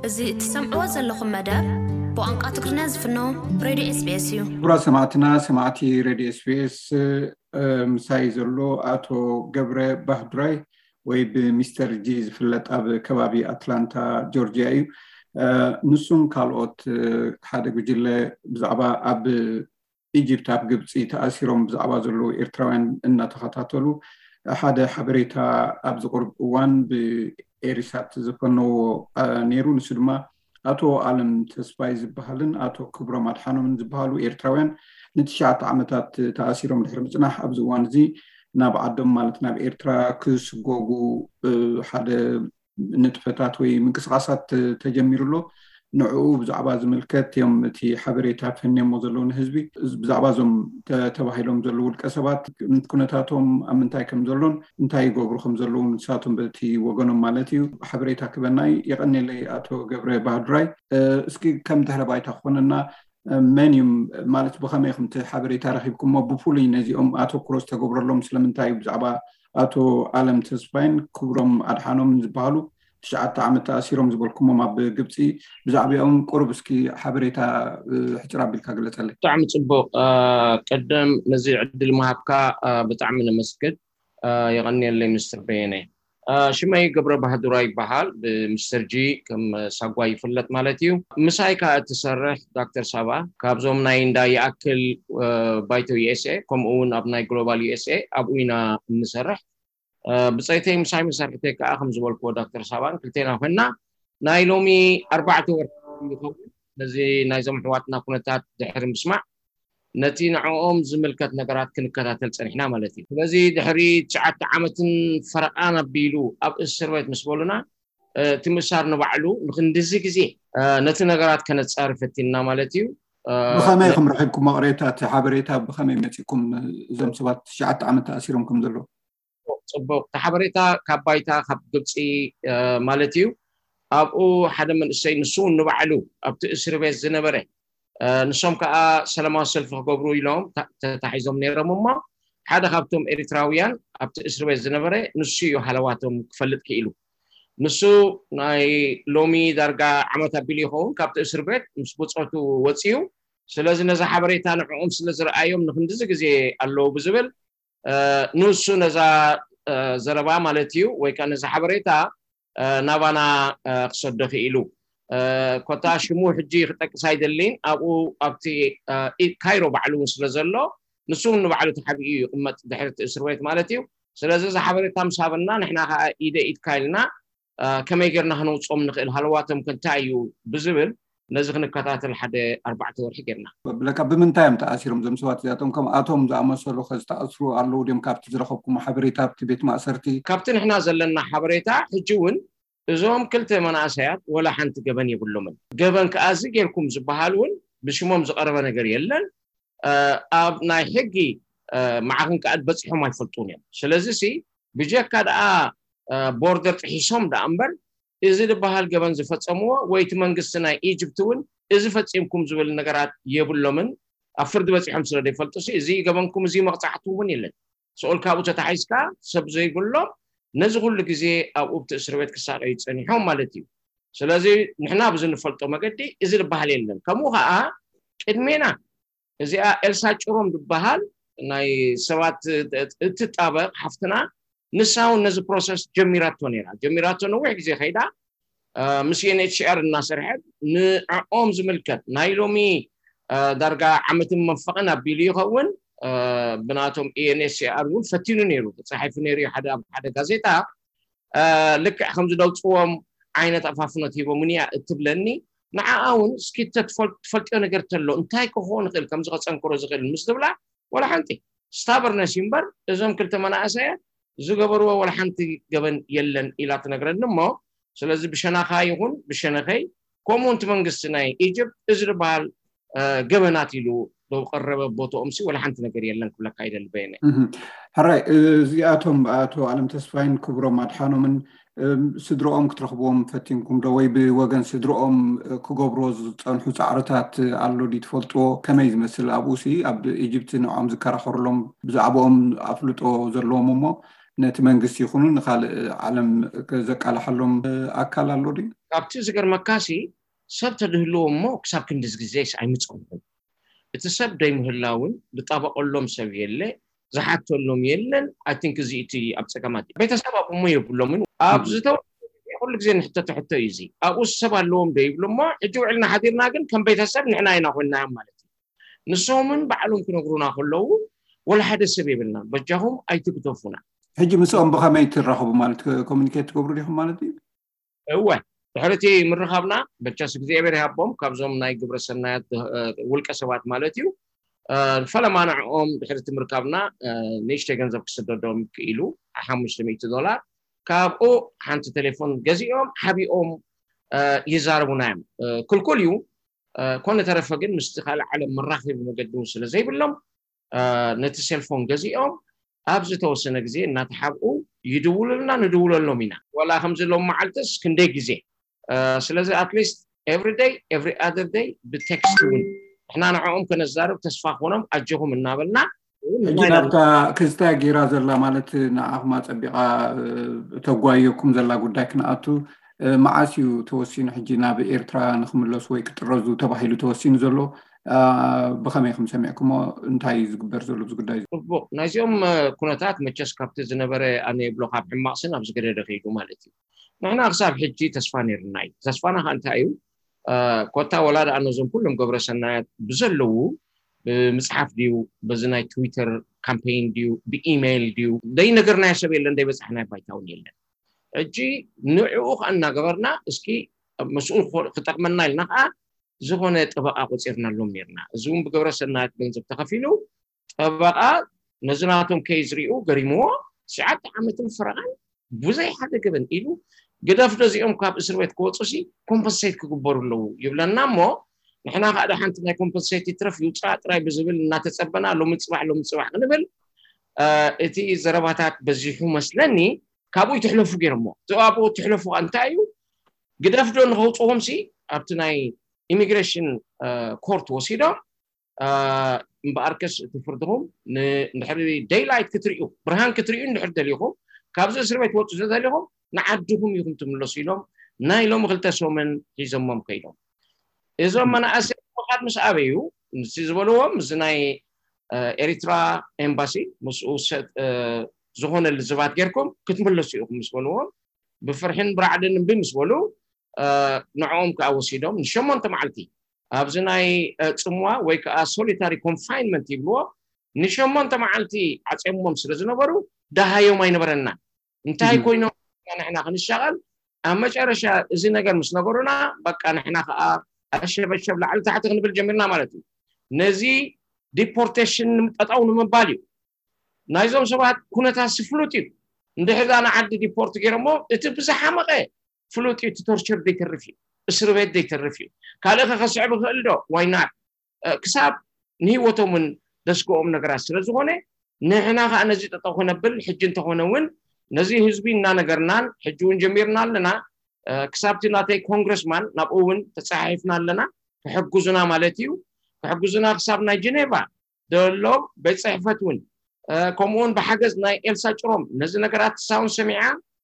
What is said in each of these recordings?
እዚ እትሰምዕዎ ዘለኹም መደብ ብቋንቋ ትግርኛ ዝፍኖ ሬድዮ ኤስቢኤስ እዩ። ክቡራት ሰማዕትና፣ ሰማዕቲ ሬድዮ ኤስቢኤስ፣ ምሳይ ዘሎ ኣቶ ገብረ ባህዱራይ ወይ ብሚስተር ጂ ዝፍለጥ ኣብ ከባቢ ኣትላንታ ጆርጂያ እዩ። ንሱን ካልኦት ሓደ ጉጅለ ብዛዕባ ኣብ ኢጅፕት፣ ኣብ ግብፂ ተኣሲሮም ብዛዕባ ዘለዉ ኤርትራውያን እናተኸታተሉ ሓደ ሓበሬታ ኣብ ዝቕርብ እዋን ብኤሪሳት ዝፈነዎ ነይሩ። ንሱ ድማ ኣቶ ኣለም ተስፋይ ዝበሃልን ኣቶ ክብሮም ኣድሓኖምን ዝበሃሉ ኤርትራውያን ንትሽዓተ ዓመታት ተኣሲሮም ድሕሪ ምፅናሕ ኣብዚ እዋን እዚ ናብ ዓዶም ማለት ናብ ኤርትራ ክስጎጉ ሓደ ንጥፈታት ወይ ምንቅስቃሳት ተጀሚሩ ኣሎ። ንዕኡ ብዛዕባ ዝምልከት እዮም እቲ ሓበሬታ ፈንዮሞ ዘለዉ ንህዝቢ። ብዛዕባ እዞም ተባሂሎም ዘለዉ ውልቀ ሰባት ኩነታቶም ኣብ ምንታይ ከም ዘሎን እንታይ ይገብሩ ከም ዘለዉ ንሳቶም በቲ ወገኖም ማለት እዩ ሓበሬታ ክበናይ። የቐኔለይ ኣቶ ገብረ ባህዱራይ። እስኪ ከም ድሕረ ባይታ ክኾነና መን እዩም ማለት ብኸመይ ኢኹም እቲ ሓበሬታ ረኺብኩሞ? ብፍሉይ ነዚኦም ኣተኩሮ ዝተገብረሎም ስለምንታይ እዩ? ብዛዕባ ኣቶ ኣለም ተስፋይን ክብሮም ኣድሓኖምን ዝበሃሉ ትሽዓተ ዓመት ተኣሲሮም ዝበልኩሞም ኣብ ግብፂ፣ ብዛዕባኦም ቁሩብ እስኪ ሓበሬታ ሕፅር ኣቢልካ ግለፀለይ። ብጣዕሚ ፅቡቕ። ቀደም ነዚ ዕድል ምሃብካ ብጣዕሚ ነመስግን። የቐንየለይ ምስትር በየነ። ሽመይ ገብረ ባህዱራ ይበሃል። ብሚስተር ጂ ከም ሳጓ ይፍለጥ ማለት እዩ። ምሳይ ከዓ እትሰርሕ ዶክተር ሳባ ካብዞም ናይ እንዳ ይኣክል ባይቶ ዩኤስኤ ከምኡ እውን ኣብ ናይ ግሎባል ዩኤስኤ ኣብኡ ኢና እንሰርሕ። ብፀይተይ ምሳይ መሰርሕተይ ከዓ ከም ዝበልክዎ ዶክተር ሳባን ክልቴና ኮይና ናይ ሎሚ ኣርባዕተ ወርሒ ይኸውን። ነዚ ናይዞም ኣሕዋትና ኩነታት ድሕሪ ምስማዕ ነቲ ንዕኦም ዝምልከት ነገራት ክንከታተል ፀኒሕና ማለት እዩ። ስለዚ ድሕሪ ትሽዓተ ዓመትን ፈረቓን ኣቢሉ ኣብ እስር ቤት ምስ በሉና እቲ ምእሳር ንባዕሉ ንክንድዚ ግዜ ነቲ ነገራት ከነፃሪ ፈቲንና ማለት እዩ። ብኸመይ ኢኹም ረኺብኩም መቕሬታ እቲ ሓበሬታ ብኸመይ መፂኩም እዞም ሰባት ትሽዓተ ዓመት ተኣሲሮም ከም ዘለዉ? ፅቡቅ እቲ ሓበሬታ ካብ ባይታ ካብ ግብፂ ማለት እዩ። ኣብኡ ሓደ መንእሰይ ንሱ እውን ንባዕሉ ኣብቲ እስር ቤት ዝነበረ ንሶም ከዓ ሰላማዊ ሰልፊ ክገብሩ ኢሎም ተታሒዞም ነይሮም እሞ ሓደ ካብቶም ኤሪትራውያን ኣብቲ እስር ቤት ዝነበረ ንሱ እዩ ሃለዋቶም ክፈልጥ ክኢሉ። ንሱ ናይ ሎሚ ዳርጋ ዓመት ኣቢሉ ይኸውን ካብቲ እስር ቤት ምስ ብፆቱ ወፂኡ። ስለዚ ነዚ ሓበሬታ ንዕኦም ስለ ዝረኣዮም ንክንድዚ ግዜ ኣለዉ ብዝብል ንሱ ነዛ ዘረባ ማለት እዩ ወይ ከዓ ነዚ ሓበሬታ ናባና ክሰዶ ክኢሉ። ኮታ ሽሙ ሕጂ ክጠቅስ ኣይደሊን። ኣብኡ ኣብቲ ካይሮ ባዕሉ እውን ስለ ዘሎ ንሱ እውን ንባዕሉ ተሓቢኡ ይቕመጥ ድሕርቲ እስር ቤት ማለት እዩ። ስለዚ እዚ ሓበሬታ ምስ ሃበና ንሕና ከዓ ኢደ ኢድካ ኢልና ከመይ ጌርና ክነውፅኦም ንኽእል ሃለዋቶም ከ እንታይ እዩ ብዝብል ነዚ ክንከታተል ሓደ ኣርባዕተ ወርሒ ጌርና። ብለካ ብምንታይ እዮም ተኣሲሮም እዞም ሰባት እዚኣቶም? ከም ኣቶም ዝኣመሰሉ ከ ዝተኣስሩ ኣለዉ ድዮም? ካብቲ ዝረኸብኩም ሓበሬታ ኣብቲ ቤት ማእሰርቲ? ካብቲ ንሕና ዘለና ሓበሬታ ሕጂ እውን እዞም ክልተ መናእሰያት ወላ ሓንቲ ገበን የብሎምን። ገበን ከኣ እዚ ጌርኩም ዝበሃል እውን ብሽሞም ዝቐረበ ነገር የለን። ኣብ ናይ ሕጊ ማዕኽን ከኣ በፂሖም ኣይፈልጡን እዮም። ስለዚ ሲ ብጀካ ደኣ ቦርደር ጥሒሶም ደኣ እምበር እዚ ዝበሃል ገበን ዝፈፀምዎ ወይ እቲ መንግስቲ ናይ ኢጅፕት እውን እዚ ፈፂምኩም ዝብል ነገራት የብሎምን። ኣብ ፍርዲ በፂሖም ስለ ዘይፈልጡ ሲ እዚ ገበንኩም እዚ መቕፃዕቲ እውን የለን። ስኦል ካብኡ ተታሒዝካ ሰብ ዘይብሎም ነዚ ኩሉ ግዜ ኣብኡ ብቲ እስር ቤት ክሳቀዩ ፀኒሖም ማለት እዩ። ስለዚ ንሕና ብዚ ንፈልጦ መገዲ እዚ ዝበሃል የለን። ከምኡ ከዓ ቅድሜና እዚኣ ኤልሳ ጭሮም ዝበሃል ናይ ሰባት እትጣበቕ ሓፍትና ንሳ እውን ነዚ ፕሮሰስ ጀሚራቶ ነይራ። ጀሚራቶ ነዊሕ ግዜ ከይዳ ምስ ዩኤንኤችሲኣር እናሰርሐት ንዕኦም ዝምልከት ናይ ሎሚ ዳርጋ ዓመትን መንፈቕን ኣቢሉ ይኸውን ብናቶም ዩኤንኤችሲኣር እውን ፈቲኑ ነይሩ ተፃሒፉ ነይሩ ሓደ ሓደ ጋዜጣ ልክዕ ከም ዝደውፅዎም ዓይነት ኣፋፍኖት ሂቦምኒ እያ እትብለኒ። ንዓኣ እውን እስኪ ትፈልጥዮ ነገር ተሎ እንታይ ክኸውን ይኽእል ከምዚ ከፀንክሮ ዝኽእል ምስ ትብላ ወላ ሓንቲ ስታበርነስ እዩ እምበር እዞም ክልተ መናእሰያት ዝገበርዎ ወላ ሓንቲ ገበን የለን ኢላ ትነግረኒ እሞ ስለዚ ብሸናኻ ይኹን ብሸነኸይ ከምኡ እቲ መንግስቲ ናይ ኢጅፕት እዚ ዝበሃል ገበናት ኢሉ ዶ ቀረበ ቦትኦም ሲ ወላ ሓንቲ ነገር የለን ክብለካ ይደሊ በየነ። ሕራይ እዚኣቶም ኣቶ ኣለም ተስፋይን ክብሮም ኣድሓኖምን ስድርኦም ክትረኽብዎም ፈቲንኩም ዶ ወይ ብወገን ስድርኦም ክገብርዎ ዝፀንሑ ፃዕርታት ኣሎ ድዩ ትፈልጥዎ? ከመይ ዝመስል ኣብኡ ሲ ኣብ ኢጅፕት ንዕኦም ዝከራኸሩሎም ብዛዕባኦም ኣፍልጦ ዘለዎም እሞ ነቲ መንግስቲ ይኹኑ ንካልእ ዓለም ዘቃላሓሎም ኣካል ኣሎ ድዩ? ካብቲ ዝገርመካሲ ሰብ ተድህልዎ እሞ ክሳብ ክንድዚ ግዜስ ኣይምፀምኹም። እቲ ሰብ ደይምህላውን ዝጣበቀሎም ሰብ የለ፣ ዝሓተሎም የለን። ኣይ ቲንክ እዚ እቲ ኣብ ፀገማት እዩ። ቤተሰብ ኣብኡ እሞ የብሎምን። ኣብ ዝተወሰነ ግዜ ኩሉ ግዜ ንሕተቶ ሕቶ እዩ እዚ። ኣብኡ ሰብ ኣለዎም ዶ ይብሉ እሞ ሕጂ ውዕልና ሓዲርና ግን ከም ቤተሰብ ንሕና ኢና ኮይንናዮም ማለት እዩ። ንሶምን ባዕሎም ክነግሩና ከለዉ ወላ ሓደ ሰብ የብልና፣ በጃኹም ኣይትግደፉና። ሕጂ ምስኦም ብኸመይ ትራኸቡ ማለት ኮሚኒኬት ትገብሩ ዲኹም ማለት እዩ? እወ ድሕርቲ ምርኻብና በቻስ እግዚኣብሔር ይሃቦም ካብዞም ናይ ግብረ ሰናያት ውልቀ ሰባት ማለት እዩ። ፈለማ ንዕኦም ድሕርቲ ምርካብና ንእሽተይ ገንዘብ ክስደዶም ክኢሉ ሓሙሽተ ሚእቲ ዶላር ካብኡ ሓንቲ ቴሌፎን ገዚኦም ሓቢኦም ይዛረቡና እዮም። ክልኩል እዩ። ኮነ ተረፈ ግን ምስቲ ካልእ ዓለም መራኸቢ መገዲ እውን ስለ ዘይብሎም ነቲ ሴልፎን ገዚኦም ኣብ ዝተወሰነ ግዜ እናተሓብኡ ይድውሉልና፣ ንድውለሎም ኢና። ዋላ ከምዚ ሎም መዓልትስ ክንደይ ግዜ። ስለዚ ኣትሊስት ኤቭሪ ደይ ኤቭሪ ኣደር ደይ ብቴክስት እውን ንሕና ንዕኦም ከነዛርብ ተስፋ ክኾኖም ኣጆኹም እናበልና ሕጂ ናብታ ክስታ ጌራ ዘላ ማለት ንዓኹም ኣጸቢቓ ተጓየኩም ዘላ ጉዳይ ክንኣቱ መዓስ እዩ ተወሲኑ? ሕጂ ናብ ኤርትራ ንክምለሱ ወይ ክጥረዙ ተባሂሉ ተወሲኑ ዘሎ ብኸመይ ከም ሰሚዕኩሞ? እንታይ እዩ ዝግበር ዘሎ ኣብዚ ጉዳይ? ጽቡቕ፣ ናይዚኦም ኩነታት መቸስ ካብቲ ዝነበረ ኣነ ይብሎ ካብ ሕማቕ ስን ኣብ ዝገደደ ከይዱ ማለት እዩ። ንሕና ክሳብ ሕጂ ተስፋ ነይርና እዩ። ተስፋና ከ እንታይ እዩ? ኮታ ወላ ደኣ ነዞም ኩሎም ገብረ ሰናያት ብዘለዉ ብምፅሓፍ ድዩ፣ በዚ ናይ ትዊተር ካምፔይን ድዩ፣ ብኢሜይል ድዩ፣ ደይነገርናዮ ሰብ የለን፣ ደይበፃሕናዮ ባይታ እውን የለን። ሕጂ ንዕኡ ከዓ እናገበርና እስኪ ምስኡ ክጠቅመና ኢልና ከዓ ዝኾነ ጠበቃ ቆፂርናሎም ነርና። እዚ እውን ብግብረ ሰናያት ገንዘብ ተኸፊሉ ጠበቃ ነዚ ናቶም ኬዝ ሪኡ ገሪምዎ ትሽዓተ ዓመትን ፈረቓን ብዘይ ሓደ ገበን ኢሉ ግደፍ ዶ እዚኦም ካብ እስር ቤት ክወፁ ሲ ኮምፐንሴት ክግበሩ ኣለዉ ይብለና እሞ ንሕና ከዓ ሓንቲ ናይ ኮምፐንሴት ይትረፍ ይውፃእ ጥራይ ብዝብል እናተፀበና ሎሚ ፅባሕ ሎሚ ፅባሕ ክንብል እቲ ዘረባታት በዚሑ መስለኒ ካብኡ ይትሕለፉ ገይሮሞ። እቲ ኣብኡ ትሕለፉ እንታይ እዩ? ግደፍ ዶ ንኸውፅዎም ሲ ኣብቲ ናይ ኢሚግሬሽን ኮርት ወሲዶም እምበኣርከስ እቲ ፍርድኹም ንድሕሪ ደይላይት ክትርእዩ ብርሃን ክትርእዩ እንድሕር ደሊኹም ካብዚ እስር ቤት ወፁ ዘደሊኹም ንዓድኹም ኢኹም ትምለሱ ኢሎም ናይ ሎሚ ክልተ ሰሙን ሒዞሞም ከይዶም። እዞም መናእሰይ ምኻድ ምስ ኣበዩ ምስ ዝበልዎም እዚ ናይ ኤሪትራ ኤምባሲ ምስኡ ዝኾነ ልዝባት ጌርኩም ክትምለሱ ኢኹም ምስ በልዎም ብፍርሕን ብራዕድን እምቢ ምስ በሉ ንዕኦም ከዓ ወሲዶም ንሸሞንተ መዓልቲ ኣብዚ ናይ ፅምዋ ወይ ከዓ ሶሊታሪ ኮንፋይንመንት ይብልዎ ንሸሞንተ መዓልቲ ዓፅሞም ስለ ዝነበሩ ደሃዮም ኣይነበረና። እንታይ ኮይኖም ንሕና ክንሻቐል ኣብ መጨረሻ እዚ ነገር ምስ ነገሩና በቃ ንሕና ከዓ ኣሸበሸብ ላዕሊ ታሕቲ ክንብል ጀሚርና ማለት እዩ። ነዚ ዲፖርቴሽን ጠጠው ንምባል እዩ። ናይዞም ሰባት ኩነታት ስፍሉጥ እዩ። እንድሕር ዳ ንዓዲ ዲፖርት ገይሮሞ እቲ ብዝሓመቐ ፍሉጥ እዩ። እቲ ቶርቸር ዘይተርፍ እዩ፣ እስር ቤት ዘይተርፍ እዩ። ካልእ ከከስዕብ ይኽእል ዶ? ዋይናት ክሳብ ንህይወቶም እውን ደስግኦም ነገራት ስለ ዝኾነ ንሕና ከዓ ነዚ ጠጠው ክነብል ሕጂ እንተኾነ እውን ነዚ ህዝቢ እናነገርናን ሕጂ እውን ጀሚርና ኣለና። ክሳብቲ ናተይ ኮንግረስማን ናብኡ እውን ተፀሓሒፍና ኣለና። ክሕግዙና ማለት እዩ። ክሕግዙና ክሳብ ናይ ጀኔቫ ዘሎ ቤት ፅሕፈት እውን ከምኡውን ብሓገዝ ናይ ኤልሳ ጭሮም ነዚ ነገራት ሳውን ሰሚዓ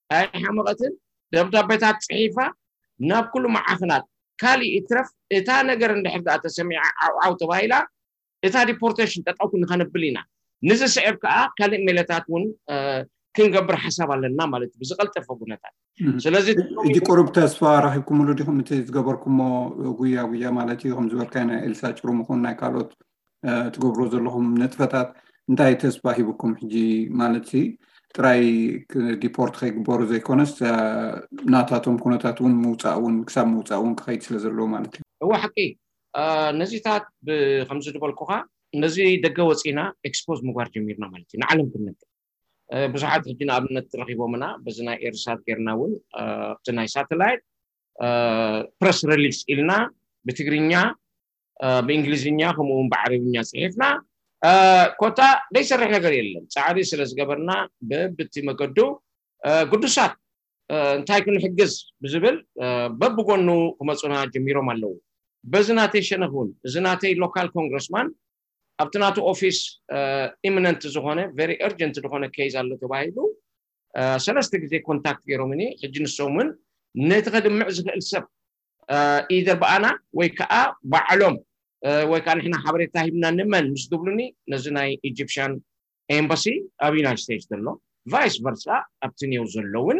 ኣይሓመቐትን ደብዳቤታት ፅሒፋ ናብ ኩሉ መዓኸናት ካሊእ ይትረፍ እታ ነገር እንድሕር ደኣ ተሰሚዓ ዓውዓው ተባሂላ እታ ዲፖርቴሽን ጠጠው ክንኸነብል ኢና። ንዝስዕብ ከዓ ካልእ ሜለታት እውን ክንገብር ሓሳብ ኣለና ማለት እዩ ብዝቀልጠፈ ኩነታት። ስለዚ ሕጂ ቁሩብ ተስፋ ረኪብኩምሉ ዲኹም እቲ ዝገበርኩሞ ጉያ ጉያ ማለት እዩ ከም ዝበልካይ ናይ ኤልሳ ጭሩም ይኹን ናይ ካልኦት ትገብሮ ዘለኹም ንጥፈታት እንታይ ተስፋ ሂብኩም ሕጂ ማለት ጥራይ ዲፖርት ከይግበሩ ዘይኮነስ ናታቶም ኩነታት እውን ምውፃእ እውን ክሳብ ምውፃእ እውን ክኸይድ ስለ ዘለዎ ማለት እዩ። እወ ሓቂ ነዚታት ከምዚ ዝበልኩኻ ነዚ ደገ ወፂና ኤክስፖዝ ምግባር ጀሚርና ማለት እዩ ንዓለም ክንነግር ብዙሓት ሕጂ ንኣብነት ረኪቦምና በዚ ናይ ኤርሳት ጌርና እውን ኣብቲ ናይ ሳተላይት ፕረስ ሪሊስ ኢልና ብትግርኛ ብእንግሊዝኛ ከምኡውን ብዓረብኛ ፅሒፍና ኮታ ዘይሰርሕ ነገር የለን ፃዕሪ ስለ ዝገበርና በብቲ መገዱ ግዱሳት እንታይ ክንሕግዝ ብዝብል በብጎኑ ክመፁና ጀሚሮም ኣለዉ። በዚ ናተይ ሸነክ እውን እዚ ናተይ ሎካል ኮንግረስማን ኣብቲ ናቱ ኦፊስ ኢሚነንት ዝኾነ ቨሪ እርጀንት ዝኾነ ኬዝ ኣሎ ተባሂሉ ሰለስተ ግዜ ኮንታክት ገይሮምኒ። ሕጂ ንሶም እውን ነቲ ከድምዕ ዝኽእል ሰብ ኢደር ብኣና ወይ ከዓ ባዕሎም ወይ ከዓ ንሕና ሓበሬታ ሂብና ንመን ምስ ዝብሉኒ፣ ነዚ ናይ ኢጂፕሽያን ኤምባሲ ኣብ ዩናይትድ ስቴትስ ዘሎ፣ ቫይስ ቨርሳ ኣብቲ ኒው ዘለውን፣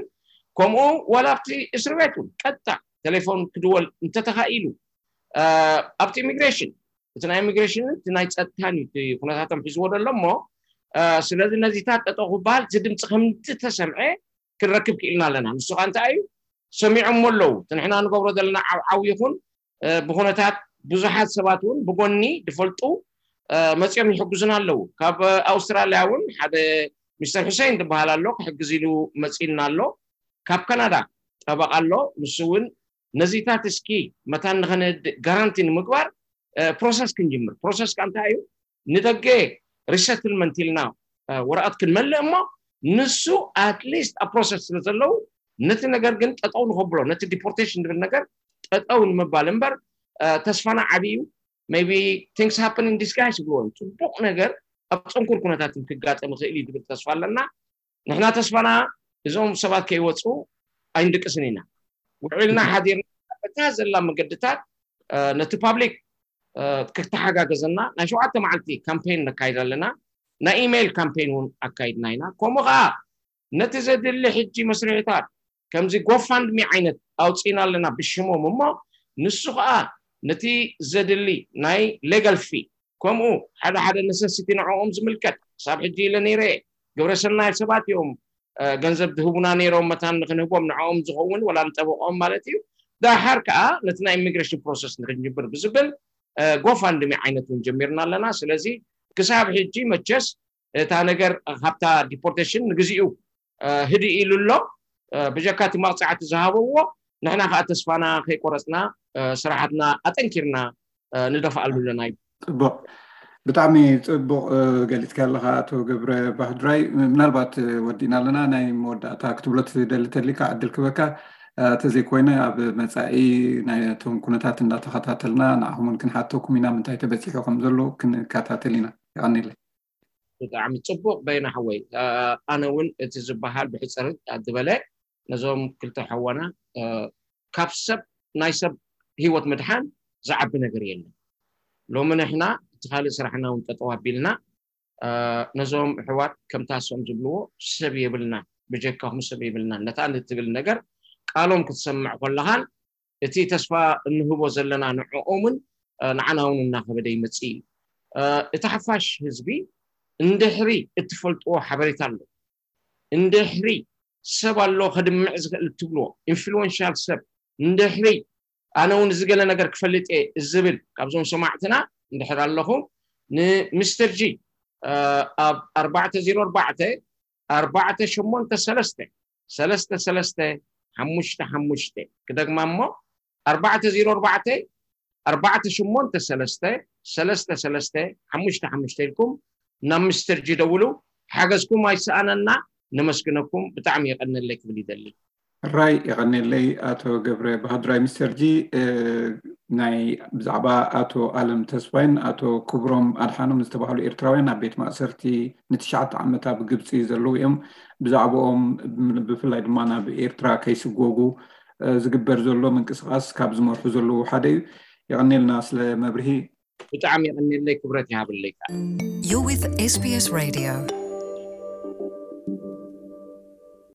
ከምኡ ዋላ ኣብቲ እስር ቤት እውን ቀጥታ ቴሌፎን ክድወል እንተተኻኢሉ፣ ኣብቲ ኢሚግሬሽን፣ እቲ ናይ ኢሚግሬሽን እቲ ናይ ጸጥታን እዩ እቲ ኩነታቶም ሒዝዎ ዘሎ እሞ፣ ስለዚ ነዚታት ጠጠው ክበሃል፣ እቲ ድምፂ ከም ዝተሰምዐ ክንረክብ ክኢልና ኣለና። ንሱ ከዓ እንታይ እዩ? ሰሚዖሞ ኣለዉ። እቲ ንሕና ንገብሮ ዘለና ዓብዓው ይኹን ብኩነታት ብዙሓት ሰባት እውን ብጎኒ ዝፈልጡ መፂኦም ይሕግዙና ኣለዉ። ካብ ኣውስትራልያ እውን ሓደ ሚስተር ሁሴን ዝበሃል ኣሎ፣ ክሕግዝ ኢሉ መፂልና ኣሎ። ካብ ካናዳ ጠበቃ ኣሎ፣ ንሱ እውን ነዚታት እስኪ መታን ንኸነድእ ጋራንቲ ንምግባር ፕሮሰስ ክንጅምር። ፕሮሰስ ከዓ እንታይ እዩ? ንደገ ሪሰትልመንት ኢልና ወረቐት ክንመልእ እሞ፣ ንሱ ኣትሊስት ኣብ ፕሮሰስ ስለ ዘለዉ፣ ነቲ ነገር ግን ጠጠው ንኸብሎ፣ ነቲ ዲፖርቴሽን ዝብል ነገር ጠጠው ንምባል እምበር፣ ተስፋና ዓብዩ። maybe things happen in disguise ይብልዎ፣ ፅቡቅ ነገር ኣብ ፅንኩር ኩነታት ክጋጠም ይኽእል እዩ ዝብል ተስፋ ኣለና። ንሕና ተስፋና እዞም ሰባት ከይወፁ ኣይንድቅስን ኢና። ውዒልና ሓዲርና በታ ዘላ መገድታት ነቲ ፓብሊክ ክተሓጋገዘና ናይ ሸውዓተ መዓልቲ ካምፔን ነካይድ ኣለና። ናይ ኢሜይል ካምፔን እውን ኣካይድና ኢና። ከምኡ ከዓ ነቲ ዘድሊ ሕጂ መስርሕታት ከምዚ ጎፋንድሚ ዓይነት ኣውፂና ኣለና ብሽሞም እሞ፣ ንሱ ከዓ ነቲ ዘድሊ ናይ ሌጋል ፊ፣ ከምኡ ሓደ ሓደ ነሰሲቲ ንዕኦም ዝምልከት፣ ክሳብ ሕጂ ኢለ ነይረ፣ ግብረ ሰናይ ሰባት እዮም ገንዘብ ዝህቡና ነይሮም፣ መታን ንክንህቦም ንዕኦም ዝኸውን ወላ ንጠበቆም ማለት እዩ። ዳሓር ከዓ ነቲ ናይ ኢሚግሬሽን ፕሮሰስ ንክንጅምር ብዝብል ጎፋንድሚ ዓይነት እውን ጀሚርና ኣለና። ስለዚ ክሳብ ሕጂ መቸስ እታ ነገር ካብታ ዲፖርቴሽን ንግዚኡ ህድእ ኢሉ ኣሎ። ብጀካ እቲ መቕፃዕቲ ዝሃበዎ፣ ንሕና ከዓ ተስፋና ከይቆረፅና ስራሓትና ኣጠንኪርና ንደፍኣሉ ኣለና እዩ። ፅቡቅ፣ ብጣዕሚ ፅቡቅ ገሊፅካ ኣለካ ኣቶ ገብረ ባህድራይ። ምናልባት ወዲእና ኣለና፣ ናይ መወዳእታ ክትብሎ ትደሊ ተሊካ ዕድል ክበካ። ተዘይኮይነ ኣብ መፃኢ ናይቶም ኩነታት እንዳተኸታተልና ንዓኹም እውን ክንሓተኩም ኢና፣ ምንታይ ተበፂሑ ከም ዘሎ ክንከታተል ኢና። ይቀኒለይ። ብጣዕሚ ፅቡቅ በይና ሓወይ። ኣነ እውን እቲ ዝበሃል ብሕፅር ዝበለ ነዞም ክልተ ሓዋና ካብ ሰብ ናይ ሰብ ህይወት ምድሓን ዝዓቢ ነገር የለን። ሎሚ ንሕና እቲ ካልእ ስራሕና እውን ጠጠው ኣቢልና ነዞም ኣሕዋት ከምታ እሶም ዝብልዎ ሰብ የብልና፣ ብጀካኹም ሰብ የብልና ነታ ንትብል ነገር ቃሎም ክትሰምዕ ከለኻን እቲ ተስፋ እንህቦ ዘለና ንዕኦምን ንዓና እውን እናኸበደ ይመፅእ እዩ። እቲ ሓፋሽ ህዝቢ እንድሕሪ እትፈልጥዎ ሓበሬታ ኣሎ፣ እንድሕሪ ሰብ ኣሎ ከድምዕ ዝኽእል እትብልዎ ኢንፍሉዌንሻል ሰብ፣ እንድሕሪ ኣነ እውን እዚ ገለ ነገር ክፈልጥ እየ ዝብል ካብዞም ሰማዕትና እንድሕር ኣለኹም ንሚስተር ጂ ኣብ ኣርባዕተ ዜሮ ኣርባዕተ ኣርባዕተ ሸሞንተ ሰለስተ ሰለስተ ሰለስተ ሓሙሽተ ሓሙሽተ ክደግማ እሞ ኣርባዕተ ዜሮ ኣርባዕተ ኣርባዕተ ሸሞንተ ሰለስተ ሰለስተ ሰለስተ ሓሙሽተ ሓሙሽተ ኢልኩም ናብ ሚስተር ጂ ደውሉ። ሓገዝኩም ኣይሰኣነና። ነመስግነኩም። ብጣዕሚ የቀነለይ ክብል ይደሊ። ራይ የቀኔለይ ኣቶ ገብረ ባህድራይ። ሚስተር ጂ፣ ናይ ብዛዕባ ኣቶ ኣለም ተስፋይን ኣቶ ክብሮም ኣድሓኖም ዝተባህሉ ኤርትራውያን ኣብ ቤት ማእሰርቲ ንትሽዓተ ዓመት ኣብ ግብፂ ዘለዉ እዮም። ብዛዕባኦም ብፍላይ ድማ ናብ ኤርትራ ከይስጎጉ ዝግበር ዘሎ ምንቅስቃስ ካብ ዝመርሑ ዘለዉ ሓደ እዩ። የቀኔልና ስለ መብርሂ። ብጣዕሚ የቀኔለይ፣ ክብረት ይሃብለይ። You're with S B S Radio.